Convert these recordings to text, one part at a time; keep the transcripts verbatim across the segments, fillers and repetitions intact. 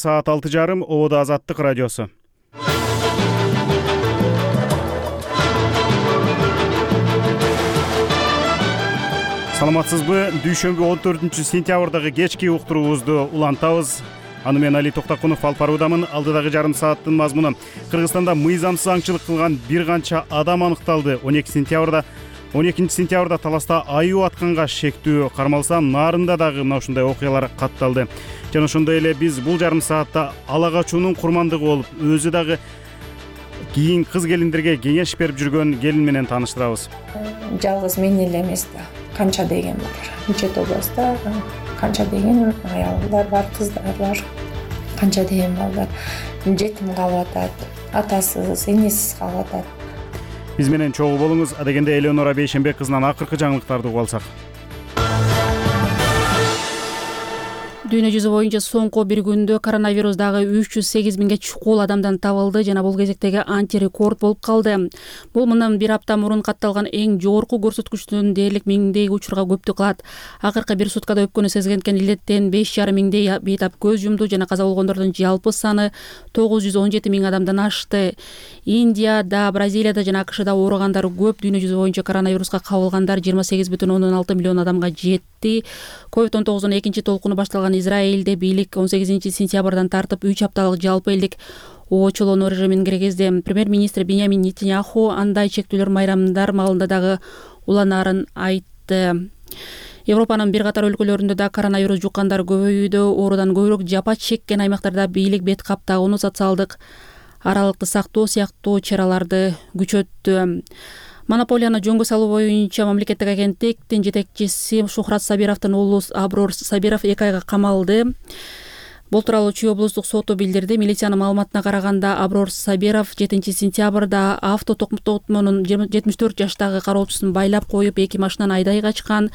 Саат алты жарым Ободо Азаттык радиосу. Саламатсызбы? Дүйшөмбү он төртүнчү сентябрдагы кечки уктуруубузду улантабыз. Аны мен Али Токтакунов алып баруудамын. Алдыдагы жарым сааттын мазмуну: Кыргызстанда мыйзамсыз аңчылык кылган бир канча адам аныкталды. он эки сентябрда он экинчи сентябрда Таласта аюу атканга шектүү кармалса, Нарында дагы мына ушундай окуялар катталды. Жана ошондой эле биз бул жарым саатта ала качуунун курмандыгы болуп, өзү дагы кийин кыз келиндерге кеңеш берип жүргөн келин менен тааныштырабыз. Жалгыз мен эле эмес да, канча деген бар. Нечет областта канча деген аялдар бар, кыздар бар. Канча деген балдар жетим калып атат, атасыз, энесиз калып атат. Биз менен чогуу болуңуз. Адегенде Элеонора Бейшенбек кызынан акыркы жаңылыктарды угуп алсак. Дүйнө жүзү боюнча соңку бир күндө коронавирус дагы үч жүз сегиз миңге чукул адамдан табылды жана бул кезектеги антирекорд болуп калды. Бул мындан бир апта мурун катталган эң жогорку көрсөткүчтөн дээрлик миңдей учурга көптүк кылат. Акыркы бир суткада өпкөнү сезген илеттен беш жарым миңдей бейтап көз жумду жана каза болгондордун жалпы саны тогуз жүз он жети миң адамдан ашты. Индияда, Бразилияда жана АКШда ооругандар көп. Дүйнө жүзү боюнча коронавируска кабылгандар жыйырма сегиз бүтүн ондон алты миллион адамга жетти. ковид он тогуздун экинчи толкуну башталган Израилде бийлик он сегизинчи сентябрдан тартып үч апталык жалпы элдик очолонуу режимин киргизди. Премьер-министр Беньямин Нетаньяху андай чектүүлөр майрамдар маалында дагы уланаарын айтты. Европанын бир катар өлкөлөрүндө да коронавирус жуккандар көбөйүүдө. Оорудан көбүрөөк жапа чеккен аймактарда бийлик бет каптагууну, социалдык аралыкты сактоо сыяктуу чараларды күчөттү. Монополияны жөнгө салуу боюнча мамлекеттик агенттиктин жетекчиси Шухрат Сабировдун уулу Аброр Сабиров эки айга камалды. Бул тууралуу Чүй облустук соту билдирди. Милициянын маалыматына караганда, Аброр Сабиров жетинчи сентябрда авто токтотмонун жетимиш төрт жаштагы кароочусун байлап коюп, эки машинаны айдай качкан.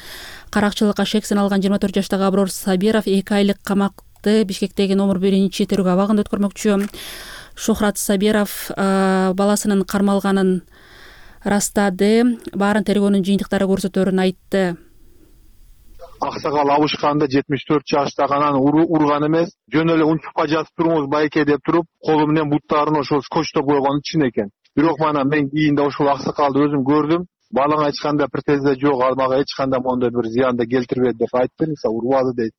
Каракчылыкка шексин алган жыйырма төрт жаштагы Аброр Сабиров эки айлык камакты Бишкектеги номер биринчи тергөө абагында өткөрмөкчү. Шухрат Сабиров баласынын кармалганын растады. Баарын тергөөнүн жыйынтыктары көрсөтөрүн айтты. Аксакал абышканда жетимиш төрт жаштагы анан урган эмес, жөн эле унчукка жатып туруңуз байке деп туруп, колу менен буттарын ошол скотчтоп койгон чын экен. Бирок мана мен кийинде ошол аксакалды өзүм көрдүм. Балаңа эч кандай претензия жок, мага эч кандай мондой бир зыянды келтирбеди деп айтты, мисалы урбады дейт.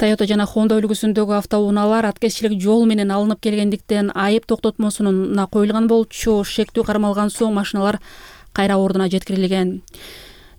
Toyota жана Honda үлгүсүндөгү автоунaalар аткезчилик жол менен алынып келгендиктен айып токтотмосуна коюлган болчу. Шектүү кармалган соң машиналар кайра ордуна жеткирилген.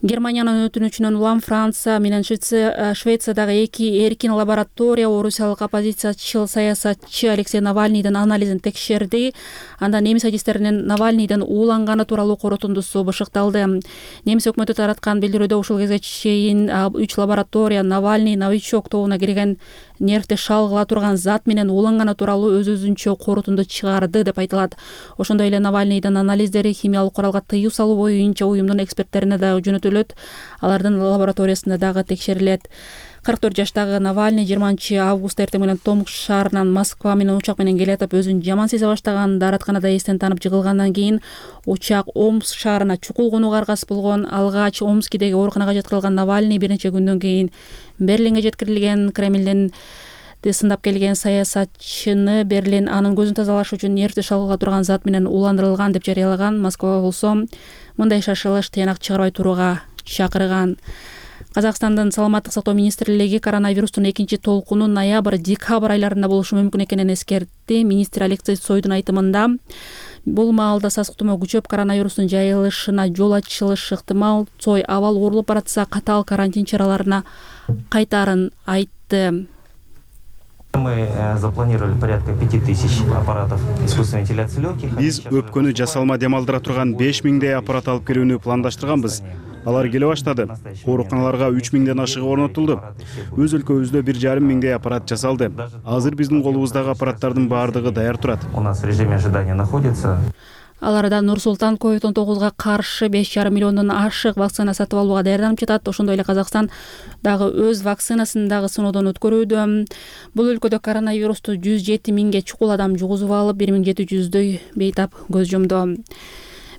Германиянын өтүнүчүнөн улам Франция менен Швециядагы эки эркин лаборатория орусиялык оппозициячыл саясатчы Алексей Навальныйдын анализин текшерди. Анда немис адистеринин Навальныйдын ууланганы тууралуу корутундусу бышыкталды. Немис өкмөтү тараткан билдирүүдө ушул кезге чейин үч лаборатория Навальный новичок тобуна кирген нервти шалгыла турган зат менен ууланганы тууралуу өз өзүнчө корутунду чыгарды деп айтылат. Ошондой эле Навальныйдын анализдери химиялык куралга тыюу салуу боюнча уюмдун эксперттерине да жөнөтүлөт. Алардын лабораториясында дагы текшерилет. кырк төрт жаштагы Навальный жыйырманчы августта эртең менен Томск шаарынан Москва менен учак менен келатып, өзүн жаман сезе баштаган. Дааратканада эстен танып жыгылгандан кийин учак Омск шаарына чукул конууга аргасыз болгон. Алгач Омскидеги ооруканага жаткырылган Навальный бир нече күндөн кийин Берлинге жеткирилген. Кремлден сындап келген саясатчыны Берлин анын көзүн тазалаш үчүн нервти шалгыла турган зат менен ууландырылган деп жарыялаган. Москва болсо мындай шашылыш тыянак чыгарбай турууга чакырган. Казакстандын саламаттык сактоо министрлиги коронавирустун экинчи толкуну ноябрь-декабрь айларында болушу мүмкүн экенин эскертти. Министр Алексей Цойдун айтымында, бул маалда сасык тумоо күчөп, коронавирустун жайылышына жол ачылышы ыктымал. Цой абал оорулуп баратса катаал карантин чараларына кайтаарын айтты. Мы запланировали порядка пяти тысяч аппаратов искусственной вентиляции легких. Биз өпкөнү жасалма демалдыра турган беш миңдей аппарат алып келүүнү пландаштырганбыз. Алар келе баштады. Ооруканаларга үч миңден ашыгы орнотулду. Өз өлкөбүздө бир жарым миңдей аппарат жасалды. Азыр биздин колубуздагы аппараттардын баардыгы даяр турат. У нас в режиме ожидания находится. Аларда Нур-Султан ковид он тогузга каршы беш жарым миллиондон ашык вакцина сатып алууга даярданып жатат. Ошондой эле Казакстан дагы өз вакцинасын дагы сыноодон өткөрүүдө. Бул өлкөдө коронавирусту жүз жети миңге чукул адам жугузуп алып, бир миң жети жүздөй бейтап көз жумду.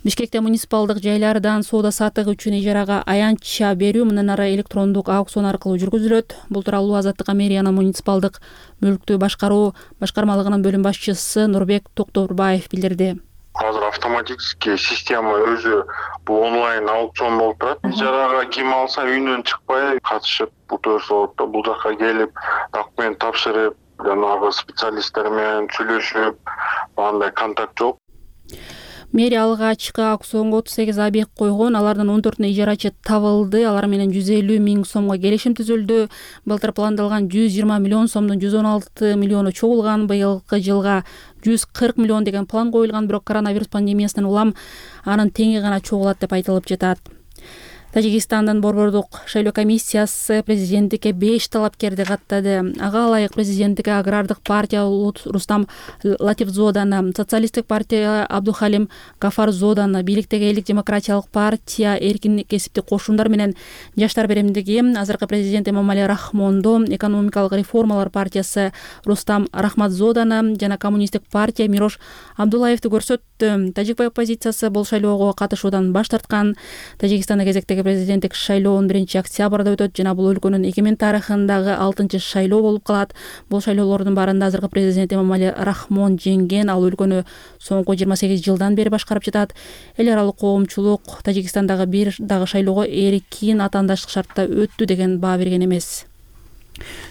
Бишкекте муниципалдык жайлардан соода саттык үчүн ижарага аянтча берүү мындан ары электрондук аукцион аркылуу жүргүзүлөт. Бул тууралуу Азаттыкка мэриянын муниципалдык мүлктү башкаруу башкармалыгынын бөлүм башчысы Нурбек Токторбаев билдирди. Азыр автоматический система өзү бул онлайн аукцион болуп турат. Ижарага ким алса үйүнөн чыкпай катышып утурса болот да. Бул жака келип документ тапшырып, жанагы специалисттер менен сүйлөшүп, андай контакт жок. Мэрия алгачкы аукционго отуз сегиз объект койгон, алардын он төртүнө ижарачы табылды. Алар менен жүз элүү миң сомго келишим түзүлдү. Былтыр пландалган жүз жыйырма миллион сомдун жүз он алты миллиону чогулган. Быйылкы жылга жүз кырк миллион деген план коюлган, бирок коронавирус пандемиясынан улам анын теңи гана чогулат деп айтылып жатат. Тажикстандын Борбордук шайлоо комиссиясы президенттикке беш талапкерди каттады. Ага ылайык президенттикке агрардык партия Рустам Латифзоданы, социалисттик партия Абдухалим Гафарзоданы, бийликтеги Элдик демократиялык партия эркин кесиптик кошундар менен Жаштар беремдиги азыркы президент Эмомали Рахмонду, экономикалык реформалар партиясы Рустам Рахматзоданы жана коммунисттик партия Мирош Абдуллаевди көрсөттү. Тажик оппозициясы бул шайлоого катышуудан баш тарткан. Тажикстанда кезектеги президенттик шайлоо он биринчи октябрда өтөт жана бул өлкөнүн эгемен тарыхындагы алтынчы шайлоо болуп калат. Бул шайлоолордун баарында азыркы президент Эмомали Рахмон жеңген. Ал өлкөнү соңку жыйырма сегиз жылдан бери башкарып жатат. Эл аралык коомчулук Тажикстандагы бир дагы шайлоого эркин атаандаштык шартта өттү деген баа берген эмес.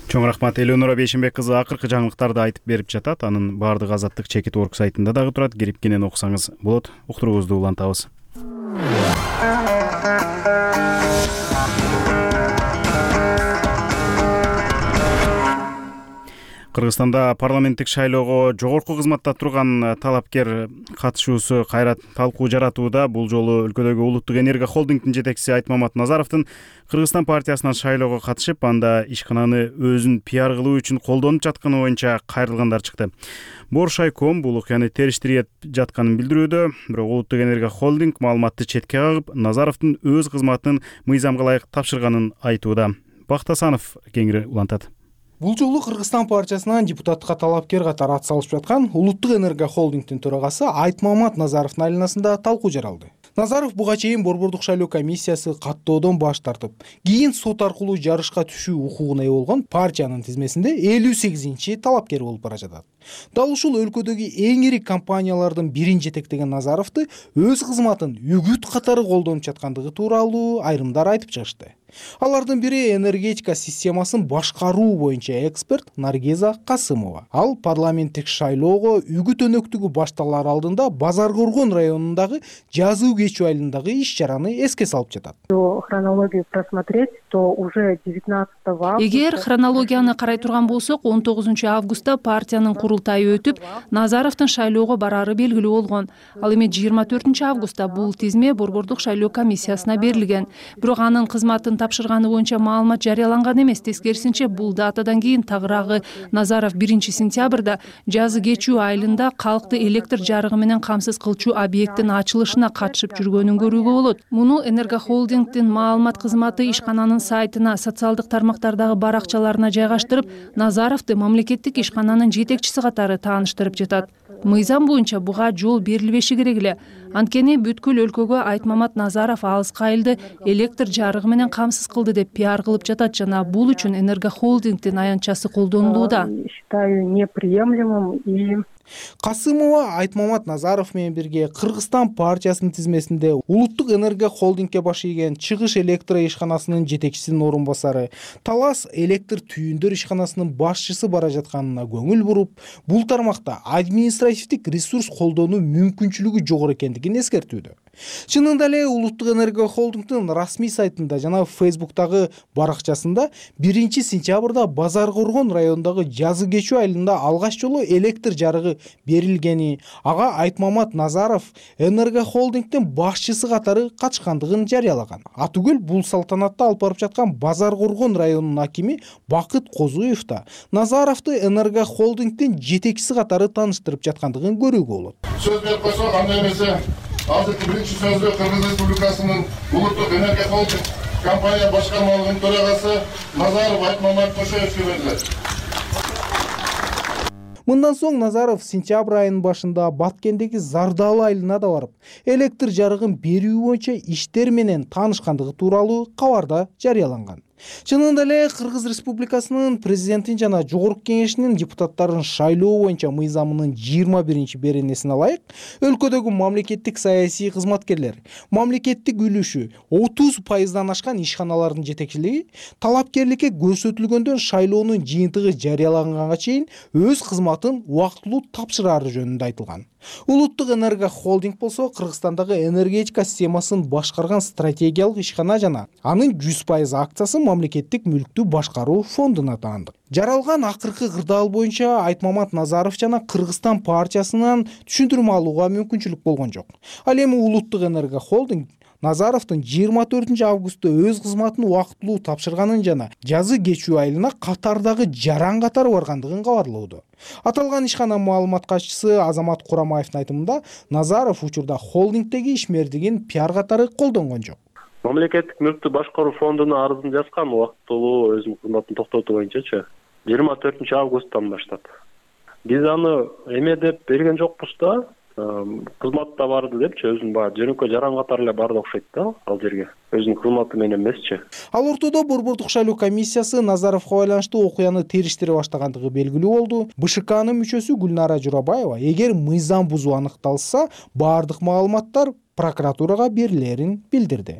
Чоң рахмат. Элеонора Бейшенбек кызы акыркы жаңылыктарды айтып берип жатат. Анын баардыгы Азаттык чекит орг сайтында дагы турат. Кирип кенен окусаңыз болот. Уктуруубузду улантабыз. Кыргызстанда парламенттик шайлоого жогорку кызматта турган талапкер катышуусу кайра талкуу жаратууда. Бул жолу өлкөдөгү Улуттук энергия холдингдин жетекчиси Айтмамат Назаровдун Кыргызстан партиясынан шайлоого катышып, анда ишкананы өзүн пиар кылуу үчүн колдонуп жатканы боюнча кайрылгандар чыкты. Боршайком бул окуяны териштирип жатканын билдирүүдө, бирок Улуттук энергия холдинг маалыматты четке кагып, Назаровдун өз кызматынын мыйзамга ылайык тапшырганын айтууда. Бактасанов кеңири улантат. Бул жолу Кыргызстан партиясынан депутатка талапкер катары ат салышып жаткан Улуттук энергия холдингдин төрагасы Айтмамат Назаровдун айланасында талкуу жаралды. Назаров буга чейин Борбордук шайлоо комиссиясы каттоодон баш тартып, кийин сот аркылуу жарышка түшүү укугуна ээ болгон партиянын тизмесинде элүү сегизинчи талапкер болуп бара жатат. Дал ушул өлкөдөгү эң ири компаниялардын бирин жетектеген Назаровду өз кызматын үгүт катары колдонуп жаткандыгы тууралуу айрымдар айтып чыгышты. Алардын бири энергетика системасын башкаруу боюнча эксперт Наргиза Касымова. Ал парламенттик шайлоого үгүт өнөктүгү башталар алдында Базар Коргон районундагы жазуу кечүү айылындагы иш-чараны эске салып жатат. Хронологию просмотреть, то уже девятнадцатого августа. Эгер хронологияны карай турган болсок, он тогузунчу августта партиянын курултайы өтүп, Назаровдун шайлоого барары белгилүү болгон. Ал эми жыйырма төртүнчү августта бул тизме Борбордук шайлоо комиссиясына берилген. Бирок анын кызматын тапшырганы боюнча маалымат жарыяланган эмес. Тескерисинче, бул датадан кийин тагыраагы Назаров биринчи сентябрда жазы кечүү айылында калкты электр жарыгы менен камсыз кылчу объекттин ачылышына катышып жүргөнүн көрүүгө болот. Муну Энергохолдингдин маалымат кызматы ишкананын сайтына, социалдык тармактардагы баракчаларына жайгаштырып, Назаровду мамлекеттик ишкананын жетекчиси катары тааныштырып жатат. Мыйзам боюнча буга жол берилбеши керек эле. Анткени бүткүл өлкөгө Айтмамат Назаров алыскы айылды электр жарыгы менен камсыз кылды деп пиар кылып жатат жана бул үчүн Энергохолдингдин аянтчасы колдонулууда. Считаю неприемлемым и Касымова Айтмамат Назаров менен бирге Кыргызстан партиясынын тизмесинде Улуттук энергия холдингге баш ийген Чыгыш электро ишканасынын жетекчисинин орун басары, Талас электр түйүндөр ишканасынын башчысы бара жатканына көңүл буруп, бул тармакта административдик ресурс колдонуу мүмкүнчүлүгү жогору экендигин эскертүүдө. Чынында эле Улуттук энергия холдингдин расмий сайтында жана Фейсбуктагы баракчасында биринчи сентябрда Базар Коргон районундагы жазы кечүү айылында алгач жолу электр жарыгы берилгени, ага Айтмамат Назаров Энергохолдингдин башчысы катары катышкандыгын жарыялаган. Атүгүл бул салтанатты алып барып жаткан Базар Коргон районунун акими Бакыт Козуев да Назаровду Энергохолдингдин жетекчиси катары тааныштырып жаткандыгын көрүүгө болот. Сөз берип койсок, андай эмесе азыркы биринчи сөздө Кыргыз Республикасынын Улуттук энергия холдинг компания башкармалыгынын төрагасы Назаров Айтмамат Кошоевге берилет. Мындан соң Назаров сентябрь айынын башында Баткендеги Зардалы айылына да барып, электр жарыгын берүү боюнча иштер менен таанышкандыгы тууралуу кабарда жарыяланган. Чынында эле Кыргыз Республикасынын президентин жана жогорку кеңешинин депутаттарын шайлоо боюнча мыйзамынын жыйырма биринчи беренесине ылайык, өлкөдөгү мамлекеттик саясий кызматкерлер мамлекеттик үлүшү отуз пайыздан ашкан ишканалардын жетекчилиги талапкерликке көрсөтүлгөндөн шайлоонун жыйынтыгы жарыяланганга чейин өз кызматын убактылуу тапшырары жөнүндө айтылган. Улуттук энерго холдинг болсо Кыргызстандагы энергетика системасын башкарган стратегиялык ишкана жана анын жүз пайыз акциясы мамлекеттик мүлктү башкаруу фондуна таандык. Жаралган акыркы кырдаал боюнча Айтмамат Назаров жана Кыргызстан партиясынан түшүндүрмө алууга мүмкүнчүлүк болгон жок. Ал эми Улуттук энерго холдинг Назаровдун жыйырма төртүнчү августта өз кызматын убактылуу тапшырганын жана жазы кечүү айылына катардагы жаран катары баргандыгын кабарлоодо. Аталган ишкана маалымат катчысы Азамат Курамаевдин айтымында Назаров учурда холдингдеги ишмердигин пиар катары колдонгон жок. Мамлекеттик мүлктү башкаруу фондуна арызын жазгам убактылуу өзүнүн кызматын токтотуу боюнчачы жыйырма төртүнчү августтан баштап. Биз аны эме деп берген жокпуз да. Кызматта барды депчи, өзүнүн баягы жөнөкөй жаран катары эле барды окшойт да ал жерге. Өзүнүн кызматы менен эмесчи. Ал ортодо Борбордук шайлоо комиссиясы Назаровго байланыштуу окуяны териштире баштагандыгы белгилүү болду. БШКнын мүчөсү Гүлнара Журабаева эгер мыйзам бузуу аныкталса, баардык маалыматтар прокуратурага берилерин билдирди.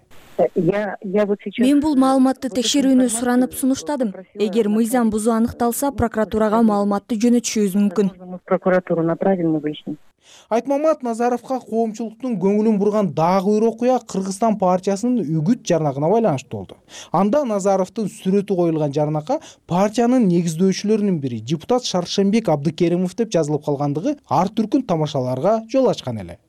Мен бул маалыматты текшерүүнү суранып сунуштадым. Эгер мыйзам бузуу аныкталса, прокуратурага маалыматты жөнөтүшүбүз мүмкүн. Прокуратуру направим на выяснение. Айтмамат Назаровго коомчулуктун көңүлүн бурган дагы бир окуя Кыргызстан партиясынын үгүт жарнагына байланыштуу болду. Анда Назаровдун сүрөтү коюлган жарнакка партиянын негиздөөчүлөрүнүн бири депутат Шаршембек Абдыкеримов деп жазылып калгандыгы ар түркүн тамашаларга жол ачкан эле.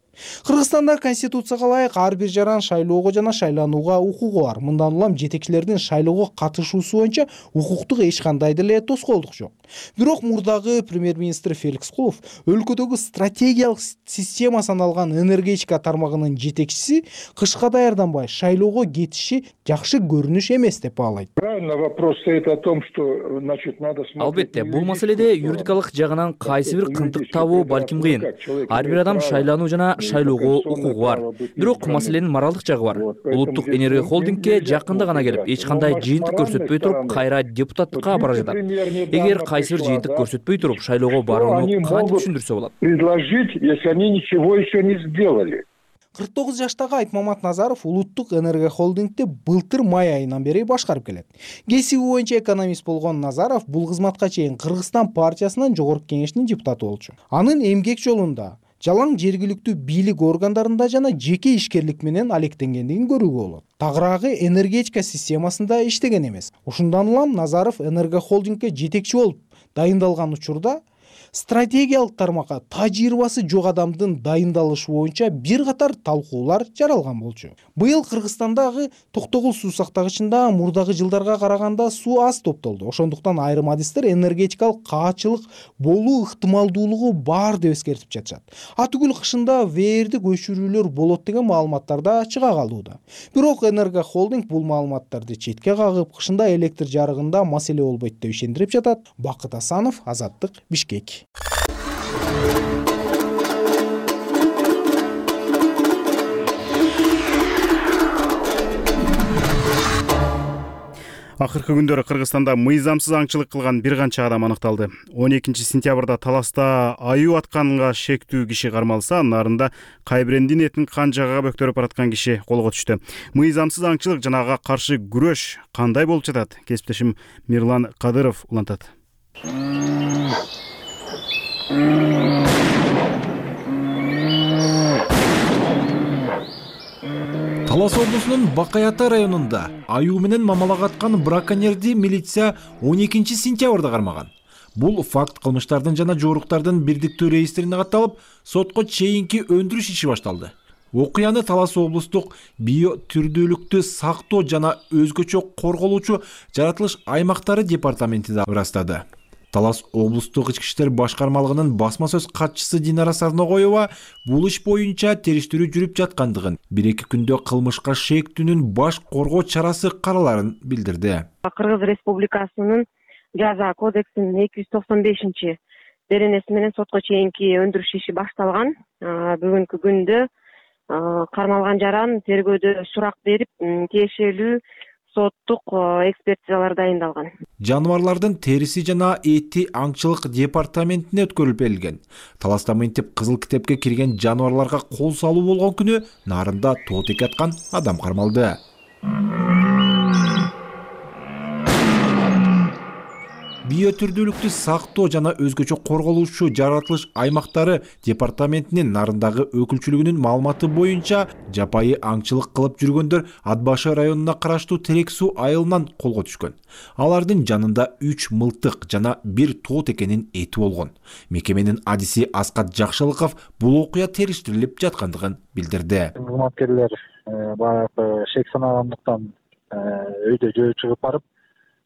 Кыргызстанда конституцияга ылайык ар бир жаран шайлоого жана шайланууга укугу бар. Мындан улам жетекчилердин шайлоого катышуусу боюнча укуктук эч кандай деле тоскоолдук жок. Бирок мурдагы премьер-министр Феликс Кулов өлкөдөгү стратегиялык система саналган энергетика тармагынын жетекчиси кышка даярданбай шайлоого кетиши жакшы көрүнүш эмес деп баалайт. Правильно, вопрос стоит о том, что, значит, надо смотреть. Албетте, бул маселеде юридикалык жагынан кайсы бир кынтык табуу балким кыйын. Ар бир адам шайлануу жана шайлоого укугу бар. Бирок маселенин моралдык жагы бар. Улуттук энерго холдингке жакында гана келип, эч кандай жыйынтык көрсөтпөй туруп, кайра депутаттыкка бара жатат. Эгер кайсы бир жыйынтык көрсөтпөй туруп, шайлоого барууну кантип түшүндүрсө болот? Предложить, если они ничего еще не сделали. кырк тогуз жаштагы Айтмамат Назаров Улуттук энерго холдингди былтыр май айынан бери башкарып келет. Кесиби боюнча экономист болгон Назаров бул кызматка чейин Кыргызстан партиясынын жогорку кеңешинин депутаты болчу. Анын эмгек жолунда жалаң жергиликтүү бийлик органдарында жана жеке ишкерлик менен алектенгендигин көрүүгө болот. Тагыраагы энергетика системасында иштеген эмес. Ушундан улам Назаров энерго холдингге жетекчи болуп дайындалган учурда стратегиялык тармакка тажрыйбасы жок адамдын дайындалышы боюнча бир катар талкуулар жаралган болчу. Быйыл Кыргызстандагы Токтогул суу сактагычында мурдагы жылдарга караганда суу аз топтолду. Ошондуктан айрым адистер энергетикалык каачылык болуу ыктымалдуулугу бар деп эскертип жатышат. Атүгүл кышында вээрдик өчүрүүлөр болот деген маалыматтар да чыга калууда. Бирок энерго холдинг бул маалыматтарды четке кагып, кышында электр жарыгында маселе болбойт деп ишендирип жатат. Бакыт Асанов, Азаттык, Бишкек. Акыркы күндөрү Кыргызстанда мыйзамсыз аңчылык кылган бир канча адам аныкталды. он экинчи сентябрда Таласта аюу атканга шектүү киши кармалса, нарында Кайбрендин этин кан жагага бөктөрүп бараткан киши колго түштү. Мыйзамсыз аңчылык жана ага каршы күрөш кандай болуп жатат? Кесиптешим Мирлан Кадыров улантат. Талас облусунун Бакай Ата районунда аюу менен мамалак аткан браконьерди милиция он экинчи сентябрда кармаган. Бул факт кылмыштардын жана жоруктардын бирдиктүү реестрине катталып, сотко чейинки өндүрүш иши башталды. Окуяны Талас облустук био түрдүүлүктү сактоо жана өзгөчө корголуучу жаратылыш аймактары департаменти да ырастады. Талас облустук ички иштер башкармалыгынын басма сөз катчысы Динара Сарногоева бул иш боюнча териштирүү жүрүп жаткандыгын, бир эки күндө кылмышка шектүүнүн баш коргоо чарасы караларын билдирди. Кыргыз Республикасынын жаза кодексинин эки жүз токсон бешинчи беренеси менен сотко чейинки өндүрүш иши башталган. Бүгүнкү күндө кармалган жаран тергөөдө сурак берип, тиешелүү соттук экспертизалар дайындалган. Жаныбарлардын териси жана эти аңчылык департаментине өткөрүлүп берилген. Таласта мынтип кызыл китепке кирген жаныбарларга кол салуу болгон күнү нарында тоотеке аткан адам кармалды. Биотүрдүүлүктү сактоо жана өзгөчө корголуучу жаратылыш аймактары департаментинин нарындагы өкүлчүлүгүнүн маалыматы боюнча жапайы аңчылык кылып жүргөндөр Ат башы районуна караштуу Терек суу айылынан колго түшкөн. Алардын жанында үч мылтык жана бир тоотекенин эти болгон. Мекеменин адиси Аскат Жакшылыков бул окуя териштирилип жаткандыгын билдирди. Кызматкерлер баягы шек санагандыктан өйдө жөө чыгып барып,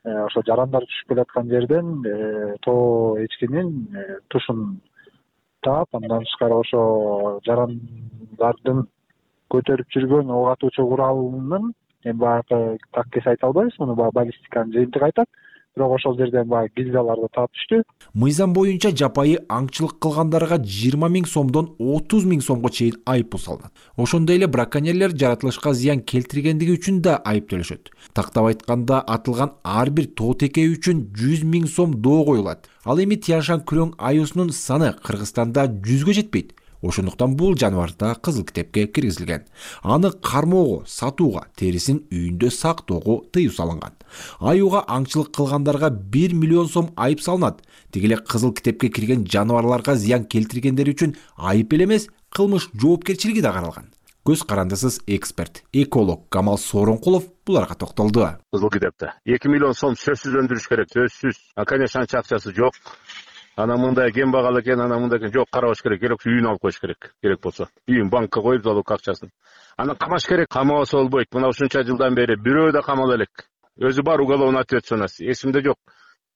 ошо жарандар түшүп келаткан жерден тоо эчкинин тушун таап, андан тышкары ошо жарандардын көтөрүп жүргөн ок атуучу куралынын эми баягы так эс айта албайбыз, муну баягы баллистиканын жыйынтыгы айтат. Бирок ошол жерден баягы гильзаларды таап түштү. Мыйзам боюнча жапайы аңчылык кылгандарга жыйырма миң сомдон отуз миң сомго чейин айып пул салынат. Ошондой эле браконьерлер жаратылышка зыян келтиргендиги үчүн да айып төлөшөт. Тактап айтканда атылган ар бир тоотеке үчүн жүз миң сом доо коюлат. Ал эми Тияншан күрөң аюусунун саны Кыргызстанда жүзгө жетпейт. Ошондуктан бул жаныбар да кызыл китепке киргизилген. Аны кармоого, сатууга, терисин үйүндө сактоого тыюу салынган. Аюуга аңчылык кылгандарга бир миллион сом айып салынат. Тиги эле кызыл китепке кирген жаныбарларга зыян келтиргендер үчүн айып эле эмес, кылмыш жоопкерчилиги да каралган. Көз карандысыз эксперт, эколог Камал Сооронкулов буларга токтолду. Кызыл китепте эки миллион сом сөзсүз өндүрүш керек, сөзсүз. А конечно анча акчасы жок. Ана мындай кен багалы экен, ана мындай экен, жок, карабаш керек, керек үйүн алып коюш керек, керек болсо. Үйүн банкка коюп, залог акчасын. Аны камаш керек, камабаса болбойт. Мына ушунча жылдан бери бирөө да камала элек. Өзү бар уголовный ответственность. Эсимде жок.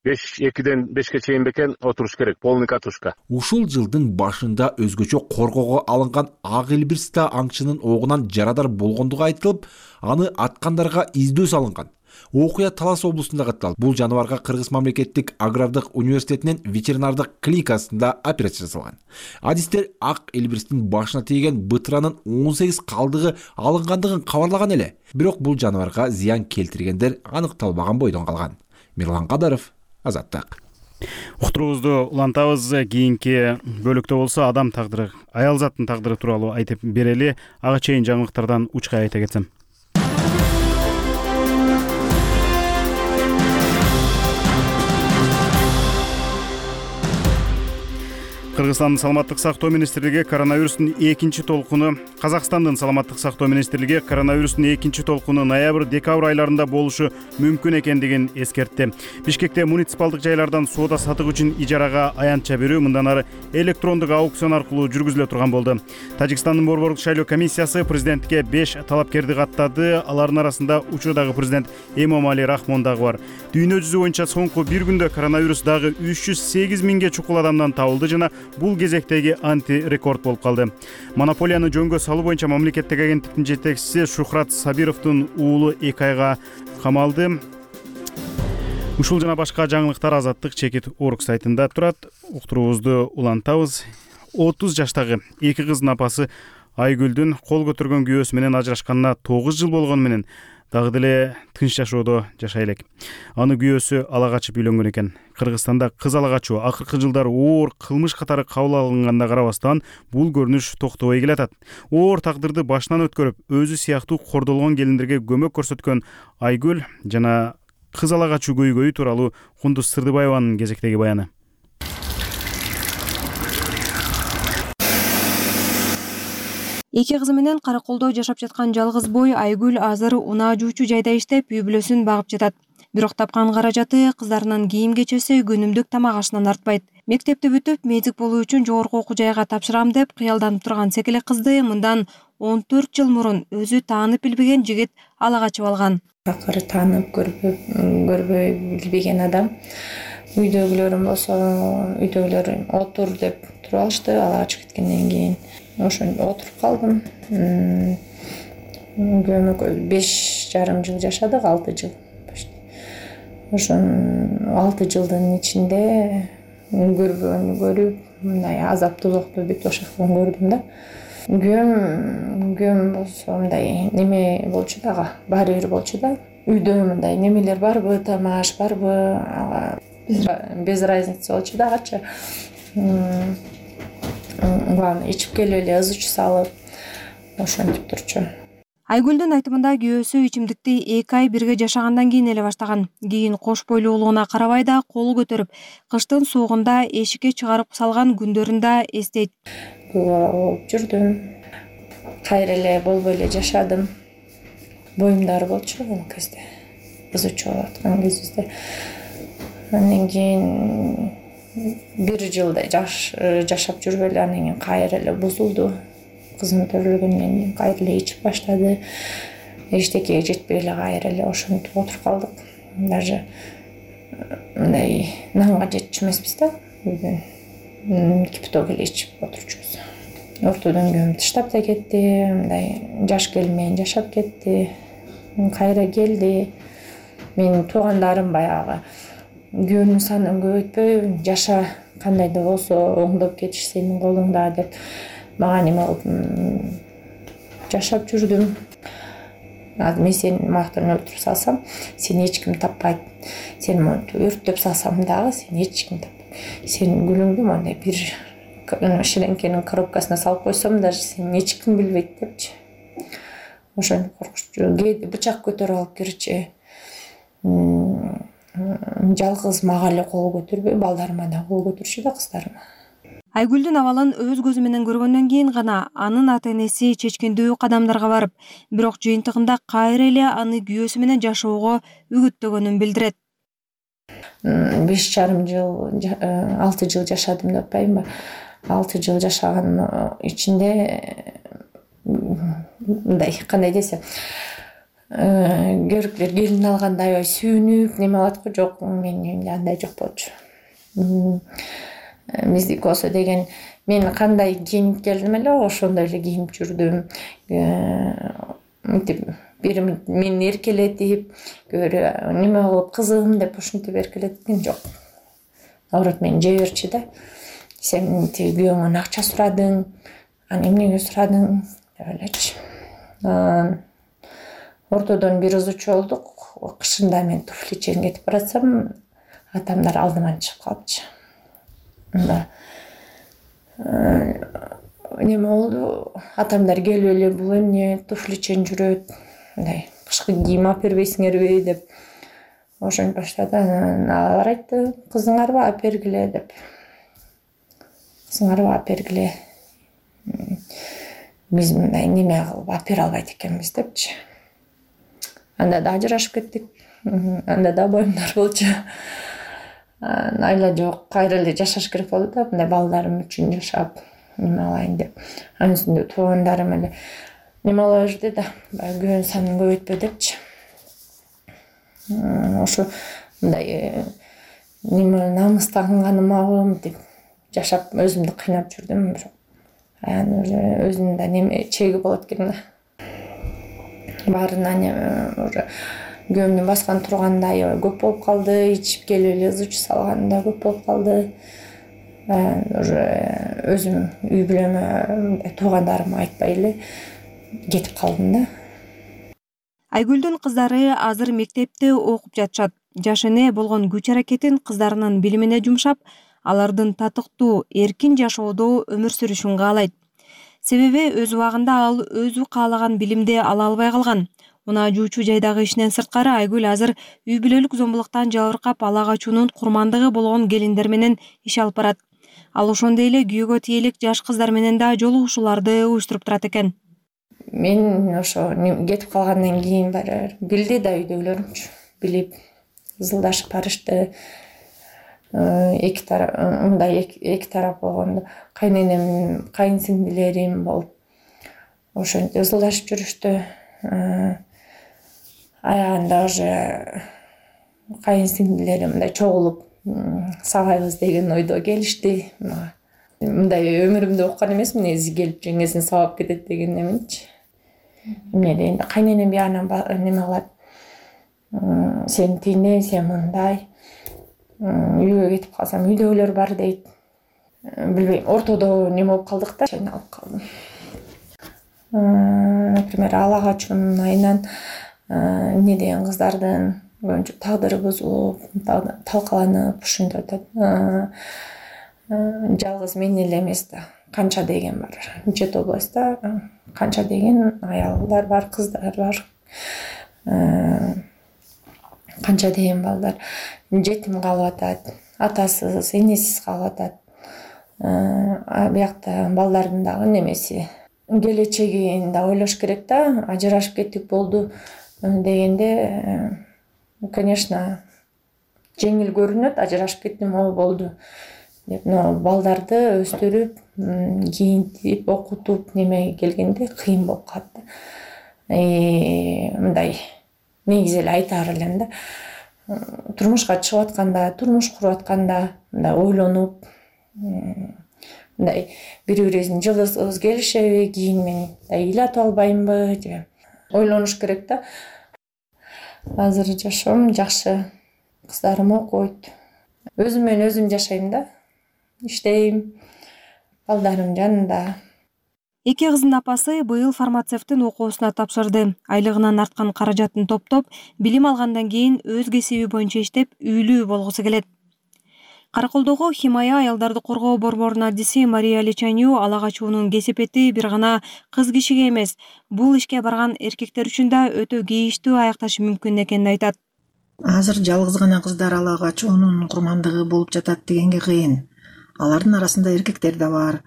беш экиден бешке чейин бекен отуруш керек, полный катушка. Ушул жылдын башында өзгөчө коргоого алынган ак элбирста аңчынын огунан жарадар болгондугу айтылып, аны аткандарга издөө салынган. Окуя Талас облусунда катталды. Бул жаныбарга Кыргыз мамлекеттик агрардык университетинин ветеринардык клиникасында операция жасалган. Адистер ак элбирстин башына тийген бытыранын он сегиз калдыгы алынгандыгын кабарлаган эле. Бирок бул жаныбарга зыян келтиргендер аныкталбаган бойдон калган. Мирлан Кадаров, Азаттык. Уктуруубузду улантабыз. Кийинки бөлүктө болсо адам тагдыры, аял заттын тагдыры тууралуу айтып берели. Ага чейин жаңылыктардан учка айта кетсем. Кыргызстандын саламаттык сактоо министрлиги коронавирустун экинчи толкуну Казакстандын саламаттык сактоо министрлиги коронавирустун экинчи толкуну ноябрь-декабрь айларында болушу мүмкүн экендигин эскертти. Бишкекте муниципалдык жайлардан соода сатык үчүн ижарага аянтча берүү мындан ары электрондук аукцион аркылуу жүргүзүлө турган болду. Тажикстандын борбордук шайлоо комиссиясы президентке беш талапкерди каттады. Алардын арасында учурдагы президент Эмомали Рахмон дагы бар. Дүйнө жүзү боюнча соңку бир күндө коронавирус дагы үч жүз сегиз миңге чукул адамдан табылды жана бул кезектеги анти-рекорд болуп калды. Монополияны жөнгө салуу боюнча мамлекеттик агенттиктин жетекчиси Шухрат Сабировдун уулу эки айга камалды. Ушул жана башка жаңылыктар Азаттык чекит орг сайтында турат. Уктуруубузду улантабыз. отуз жаштагы эки кыздын апасы Айгүлдүн кол көтөргөн күйөөсү менен ажырашканына тогуз жыл болгону менен дагы деле тынч жашоодо жашай элек. Аны күйөөсү ала качып үйлөнгөн экен. Кыргызстанда кыз ала качуу акыркы жылдары оор кылмыш катары кабыл алынганда карабастан бул көрүнүш токтобой келатат. Оор тагдырды башынан өткөрүп, өзү сыяктуу кордолгон келиндерге көмөк көрсөткөн Айгүл жана кыз ала качуу көйгөйү тууралуу Кундуз Сырдыбаеванын кезектеги баяны. Эки кызы менен Караколдо жашап жаткан жалгыз бой Айгүл азыр унаа жуучу жайда иштеп, үй бүлөсүн багып жатат. Бирок тапкан каражаты кыздарынын кийим кечеси, күнүмдүк тамак ашынан артпайт. Мектепти бүтүп, медик болуу үчүн жогорку окуу жайга тапшырам деп кыялданып турган секелек кызды мындан он төрт жыл мурун өзү таанып билбеген жигит ала качып алган. Акыры таанып көрбөй көрбөй билбеген адам. Үйдөгүлөрүм болсо, үйдөгүлөр отур деп туруп алышты, ала качып кеткенден кийин. Ошондо отуруп калдым. Көмөк беш жарым жыл жашадык, алты жыл. Ошон алты жылдын ичинде көрбөгөндү көрүп, мындай азап тозокту бүт ошол көрдүм да. Күйөөм күйөөм болсо мындай неме болчу дагы, баары бир болчу да. Үйдө мындай немелер барбы, тамаш барбы, ага без разницы болчу дагычы. Главное ичип келип эле ызы чуу салып, ошентип турчу. Айгүлдүн айтымында күйөөсү ичимдикти эки ай бирге жашагандан кийин эле баштаган. Кийин кош бойлуулугуна карабай да кол көтөрүп, кыштын суугунда эшикке чыгарып салган күндөрүн да эстейт. Көп бала болуп жүрдүм. Кайра эле болбой эле жашадым. Боюмда оор болчу ал кезде. Ызы чуу болуп аткан кезибизде. Андан кийин бир жылдай жашап жүрүп эле анан кийин кайра эле бузулду. Кызым төрөлгөндөн кийин кайра эле ичип баштады. Эчтекеге жетпей эле кайра эле ошентип отуруп калдык. Даже мындай нанга жетчү эмеспиз да. Кипяток эле ичип отурчубуз. Ортодон күйөөм таштап да кетти, мындай жаш келин менен жашап кетти. Кайра келди. Менин туугандарым баягы күйөөнүн санын көбөйтпөй, жаша кандай да болсо оңдоп кетиш сенин колуңда деп мага неме кылып жашап жүрдүм. Азыр мен сени мактан өлтүрүп салсам, сени эч ким таппайт. Сени монтип өрттөп салсам дагы сени эч ким таппайт. Сенин гүлүңдү мондай бир шиленкенин коробкасына салып койсом, даже сени эч ким билбейт депчи. Ошентип коркучу. Кээде бычак көтөрүп алып кирчи. Жалгыз мага эле кол көтөрбөй, балдарыма да кол көтөрчү да, кыздарыма. Айгүлдүн абалын өз көзү менен көргөндөн кийин гана анын ата-энеси чечкендүү кадамдарга барып, бирок жыйынтыгында кайра эле аны күйөөсү менен жашоого үгүттөгөнүн билдирет. Беш жарым жыл, алты жыл жашадым деп атпайбынбы? Алты жыл жашаганын ичинде мындай кандай десем, көрүклөр келин алганда аябай сүйүнүп, неме алат го, жок, менин үйүмдө андай жок болчу. Биздики болсо деген, мен кандай кийинип келдим эле, ошондой эле кийинип жүрдүм. Мынтип бир мени эркелетип, көбүрөөк неме кылып, кызым деп ушинтип эркелеткен жок. Наоборот, мени жей берчү да. Сен мынтип күйөөңөн акча сурадың, аны эмнеге сурадың деп элечи. Ортодон бир ызы чуу болдук. Кышында мен туфли чейин кетип баратсам, атамдар алдыман чыгып калыпчы. Мында неме болду, атамдар келип эле бул эмне туфли чейин жүрөт, мындай кышкы кийим алып бербейсиңерби деп ошентип баштады. Алар айтты, кызыңарбы алып бергиле деп. Кызыңарбы алып бергиле. Биз мындай неме кылып алып бере албайт экенбиз депчи. Анда да ажырашып кеттик. Анда да боюмдар болчу. Айла жок, кайра эле жашаш керек болду да, мындай балдарым үчүн жашап, неме алайын деп. Анын үстүндө туугандарым эле неме ала берди да, баягы күйөөнүн санын көбөйтпө депчи. Ошо мындай неме намыстанганымабы мынтип жашап өзүмдү кыйнап жүрдүм. Анан өзүнүн да неме чеги болот экен да. Баарына уже күйөөмдүн баскан турганы да аябай көп болуп калды, ичип келип эле ызы чуу салганы да көп болуп калды. Уже өзүм үй бүлөмө, туугандарыма айтпай эле кетип калдым да. Айгүлдүн кыздары азыр мектепте окуп жатышат. Жаш эне болгон күч аракетин кыздарынын билимине жумшап, алардын татыктуу, эркин жашоодо өмүр сүрүшүн каалайт. Себеби өз убагында ал өзү каалаган билимди ала албай калган. Унаа жуучу жайдагы ишинен сырткары Айгүл азыр үй бүлөлүк зомбулуктан жабыркап ала качуунун курмандыгы болгон келиндер менен иш алып барат. Ал ошондой эле күйөөгө тиелик жаш кыздар менен да жолугушууларды уюштуруп турат экен. Мен ошо кетип калгандан кийин баары билди да, үйдөгүлөрүмчү билип ызылдашып барышты. Эки тарап, мындай эки тарап болгондо кайненем, кайынсиңдилерим болуп ошентип ызылдашып жүрүштү. Аягында уже кайынсиңдилерим мындай чогулуп сабайбыз деген ойдо келишти. Мындай өмүрүмдө уккан эмесмин, негизи келип жеңесин сабап кетет деген эмечи. Эмне дегенде кайненем биягынан неме кылат. Сен тийине, сен мындай. үйгө кетип калсам үйдөгүлөр бар дейт. Билбейм, ортодо неме болуп калдык да, айналып калдым. Например, ала качуунун айынан эмне деген кыздардын көбүнчө тагдыры бузулуп, талкаланып ушинтип атат. Жалгыз мен эле эмес да, канча деген бар. Чет областта канча деген аялдар бар, кыздар бар. Канча деген балдар жетим калып атат, атасыз, энесиз калып атат. Биякта балдардын дагы немеси, келечегин да ойлош керек да. Ажырашып кеттик болду дегенде, конечно, жеңил көрүнөт, ажырашып кеттим, о болду деп. Но балдарды өстүрүп, кийинтип, окутуп неме келгенде кыйын болуп калат да. Мындай негизи эле айтаар элем да. Турмушка чыгып атканда, турмуш куруп атканда мындай ойлонуп, мындай бири-бирибиздин жылдызыбыз келишеби, кийин мен ыйлатып албаймынбы же ойлонуш керек да. Азыр жашоом жакшы, кыздарым окуйт, өзүм менен өзүм жашайм да, иштейм, балдарым жанында. Эки кыздын апасы быйыл фармацевттин окуусуна тапшырды. Айлыгынан арткан каражатын топтоп, билим алгандан кийин өз кесиби боюнча иштеп, үйлүү болгусу келет. Караколдогу Химая аялдарды коргоо борборунун адиси Мария Личаню ала качуунун кесепети бир гана кыз кишиге эмес, бул ишке барган эркектер үчүн да өтө кейиштүү аякташы мүмкүн экенин айтат. Азыр жалгыз гана кыздар ала качуунун курмандыгы болуп жатат дегенге кыйын. Алардын арасында эркектер да бар.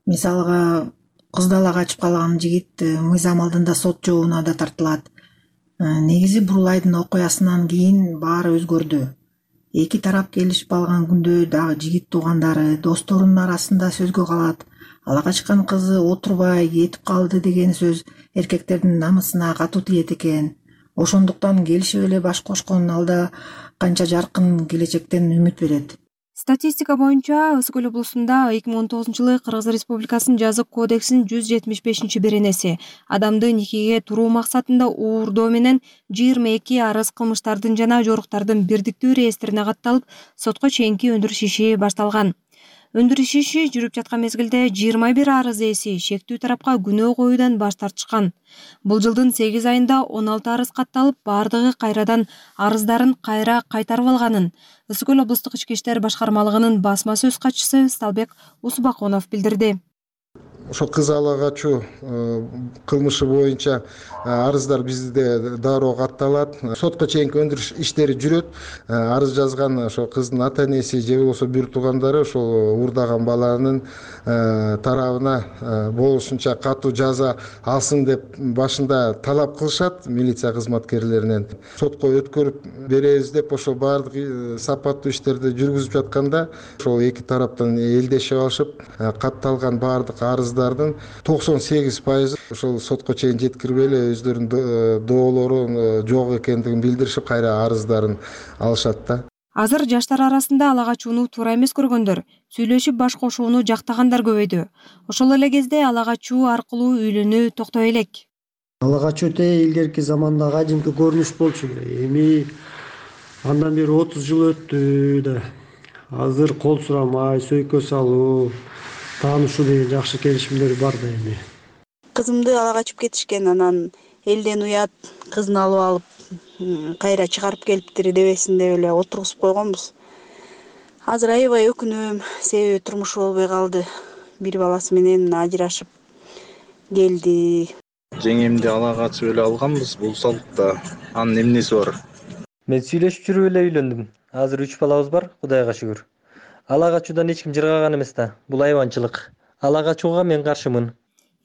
Мисалга, кызды ала качып калган жигит мыйзам алдында сот жообуна да тартылат. Негизи Бурулайдын окуясынан кийин баары өзгөрдү. Эки тарап келишип алган күндө дагы жигит туугандары, досторунун арасында сөзгө калат. Ала качкан кызы отурбай кетип калды деген сөз эркектердин намысына катуу тиет экен. Ошондуктан келишип эле баш кошкон алда канча жаркын келечектен үмүт берет. Статистика боюнча Ысык көл облусунда эки миң он тогузунчу жылы Кыргыз Республикасынын жазык кодексинин жүз жетимиш бешинчи беренеси адамды никеге туруу максатында уурдоо менен жыйырма эки арыз кылмыштардын жана жоруктардын бирдиктүү реестрине катталып, сотко чейинки өндүрүш иши башталган. Өндүрүш иши жүрүп жаткан мезгилде жыйырма бир арыз ээси шектүү тарапка күнөө коюудан баш тартышкан. Бул жылдын сегиз айында он алты арыз катталып, бардыгы кайрадан арыздарын кайра кайтарып алганын Ысык көл облустук ички иштер башкармалыгынын басма сөз катчысы Сталбек Усубакунов билдирди. Ошо кыз ала качуу кылмышы боюнча арыздар бизде дароо катталат. Сотко чейинки өндүрүш иштери жүрөт. Арыз жазган ошо кыздын ата энеси же болбосо бир туугандары ошол уурдаган баланын тарабына болушунча катуу жаза алсын деп башында талап кылышат милиция кызматкерлеринен. Сотко өткөрүп беребиз деп ошо баардык сапаттуу иштерди жүргүзүп жатканда ошол эки тараптан элдешип алышып, катталган баардык арыз токсон сегиз пайызы ошол сотко чейин жеткирбей эле өздөрүнүн доолору жок экендигин билдиришип, кайра арыздарын алышат да. Азыр жаштар арасында ала качууну туура эмес көргөндөр, сүйлөшүп баш кошууну жактагандар көбөйдү. Ошол эле кезде ала качуу аркылуу үйлөнүү токтой элек. Ала качуу те илгерки заманда кадимки көрүнүш болчу. Эми андан бери отуз жыл өттү да. Азыр кол сурамай, сөйкө салуу, таанышуу деген жакшы келишимдер бар да эми. Кызымды ала качып кетишкен, анан элден уят, кызын алып алып кайра чыгарып келиптир дебесин деп эле отургузуп койгонбуз. Азыр аябай өкүнөм, себеби турмушу болбой калды. Бир баласы менен ажырашып келди. Жеңемди ала качып эле алганбыз, бул салтта. Анын эмнеси бар? Мен сүйлөшүп жүрүп эле үйлөндүм. Азыр үч балабыз бар, Кудайга шүгүр. Ала качуудан эч ким жыргаган эмес да. Бул айванчылык. Ала качууга мен каршымын.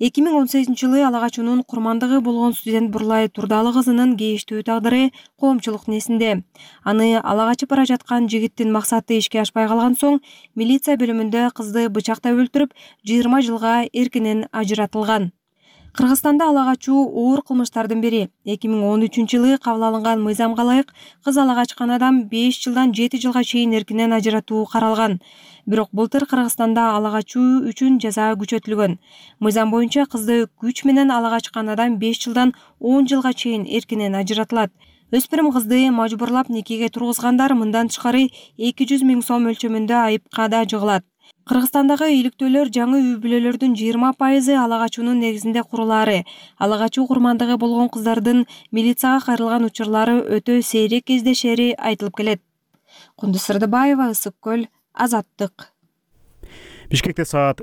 эки миң он сегизинчи жылы ала качуунун курмандыгы болгон студент Бурлай Турдалы кызынын кейиштүү тагдыры коомчулуктун эсинде. Аны ала качып бара жаткан жигиттин максаты ишке ашпай калган соң, милиция бөлүмүндө кызды бычактап өлтүрүп, жыйырма жылга эркинен ажыратылган. Кыргызстанда ала качуу оор кылмыштардын бири. эки миң он үчүнчү жылы кабыл алынган мыйзамга ылайык кыз ала качкан адам беш жылдан жети жылга чейин эркинен ажыратуу каралган. Бирок былтыр Кыргызстанда ала качуу үчүн жаза күчөтүлгөн. Мыйзам боюнча кызды күч менен ала качкан адам беш жылдан он жылга чейин эркинен ажыратылат. өспүрүм кызды мажбурлап никеге тургузгандар мындан тышкары эки жүз миң сом өлчөмүндө айыпка да жыгылат. Кыргызстандагы үйлүктүүлөр жаңы үй бүлөлөрдүн жыйырма пайызы ала качуунун негизинде курулаары. Ала качуу курмандыгы болгон кыздардын милицияга кайрылган учурлары өтө сейрек кездешери айтылып келет. Кундуз Сырдыбаева, Ысык көл, Азаттык. Бишкекте саат